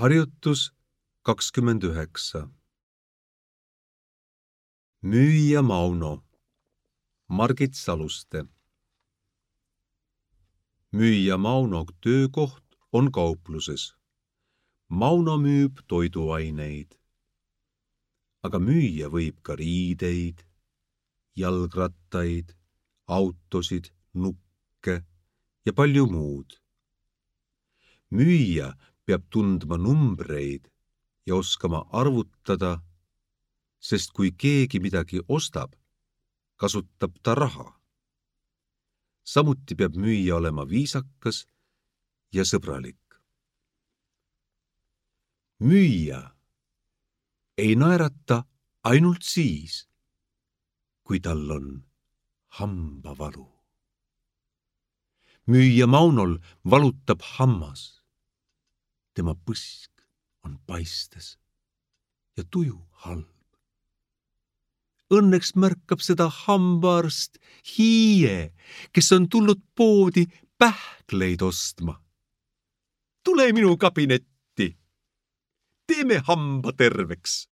Harjutus 29. Müüja Mauno, Margit Saluste. Müüja Mauno töökoht on kaupluses. Mauno müüb toiduaineid. Aga müüa võib ka riideid, jalgrattaid, autosid, nukke ja palju muud. Müüja peab tundma numbreid ja oskama arvutada, sest kui keegi midagi ostab, kasutab ta raha. Samuti peab müüja olema viisakas ja sõbralik. Müüja ei naerata ainult siis, kui tal on hambavalu. Müüja Maunol valutab hammas. Tema põsk on paistes ja tuju halb. Õnneks märkab seda hambaarst Hiie, kes on tulnud poodi pähkleid ostma. Tule minu kabinetti. Teeme hamba terveks.